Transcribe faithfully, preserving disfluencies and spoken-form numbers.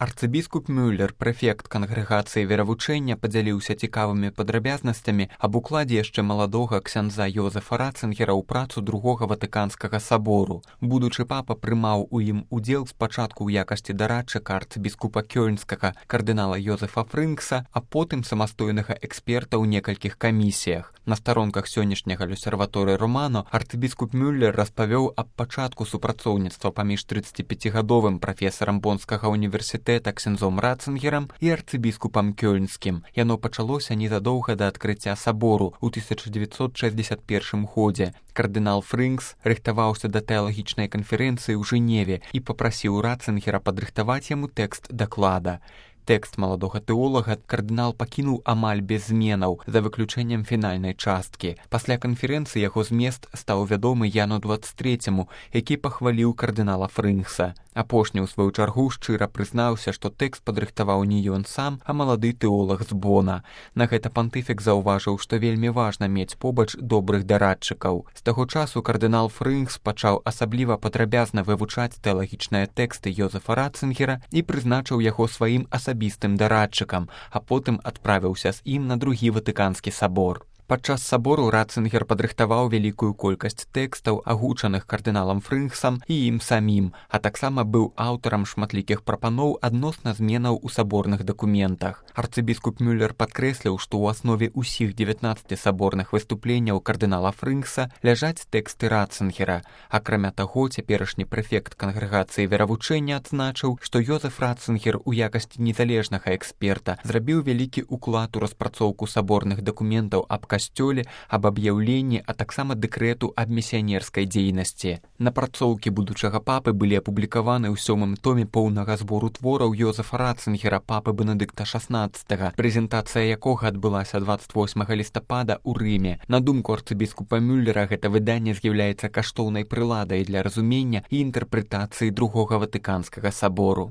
Арцыбіскуп Мюллер, прэфект кангрэгацыі веравучэння, падзяліўся цікавымі падрабязнасцямі аб укладзе яшчэ маладога ксяндза Йозефа Ратцынгера ў працу другога Ватыканскага сабору. Будучы папа прымаў у ім удзел спачатку ў якасці дарадчыка арцыбіскупа Кёльнскага кардынала Йозефа Фрынкса, а потым самастойнага эксперта ў некалькіх камісіях. На старонках сённяшняга Люсерваторы Романо арцыбіскуп Мюллер распавёў аб пачатку супрацоўніцтва паміж трыццаціпяцігадовым прафесарам Бонскага універсітэта ксяндзом Ратцынгерам і арцыбіскупам Кёльнскім. Яно пачалося незадоўга да адкрыцця сабору ў тысяча дзевяцьсот шэсцьдзесят першым годзе. Кардынал Фрынкс рыхтаваўся да тэалагічнай канферэнцыі ў Жэневе і папрасіў Ратцынгера падрыхтаваць яму тэкст даклада. Тэкст маладога тэолага кардынал пакінуў амаль без зменаў, за выключэннем фінальнай часткі. Пасля канферэнцыі яго змест стаў вядомы Яну дваццаць трэцяму, які пахваліў кардынала Фрынкса. Апошні, у сваю чаргу, шчыра прызнаўся, што тэкст падрыхтаваў не ён сам, а малады тэолаг з Бона. На гэта пантыфік заўважыў, што вельмі важна мець побач добрых дарадчыкаў. З таго часу кардынал Фрынкс пачаў асабліва падрабязна вывучаць тэалагічныя тэксты Йозефа Ратцынгера і прызначыў яго сваім асабістым дарадчыкам, а потым адправіўся з ім на другі Ватыканскі сабор. Падчас сабору Ратцынгер падрыхтаваў вялікую колькасць тэкстаў, агучаных кардыналам Фрынксам і ім самім, а таксама быў аўтарам шматлікіх прапаноў адносна зменаў у саборных дакументах. Арцыбіскуп Мюллер падкрэсліў, што ў аснове ўсіх дзевятнаццаці саборных выступленняў кардынала Фрынкса ляжаць тэксты Ратцынгера. Акрамя таго, цяперашні прэфект кангрэгацыі веравучэння адзначыў, што Йозеф Ратцынгер у якасці незалежнага эксперта зрабіў вялікі ўклад у распрацоўку саборных дакументаў аб касцёле, аб аб'яўленні, а таксама дэкрэту аб місіянерскай дзейнасці. Напрацоўкі будучага папы былі апублікаваны ў сёмым томе поўнага збору твораў Йозефа Ратцынгера, папы Бенедыкта шаснаццатага, прэзентацыя якога адбылася дваццаць восьмага лістапада ў Рыме. На думку арцыбіскупа Мюллера, гэта выданне з'яўляецца каштоўнай прыладай для разумення і інтэрпрэтацыі другога Ватыканскага сабору.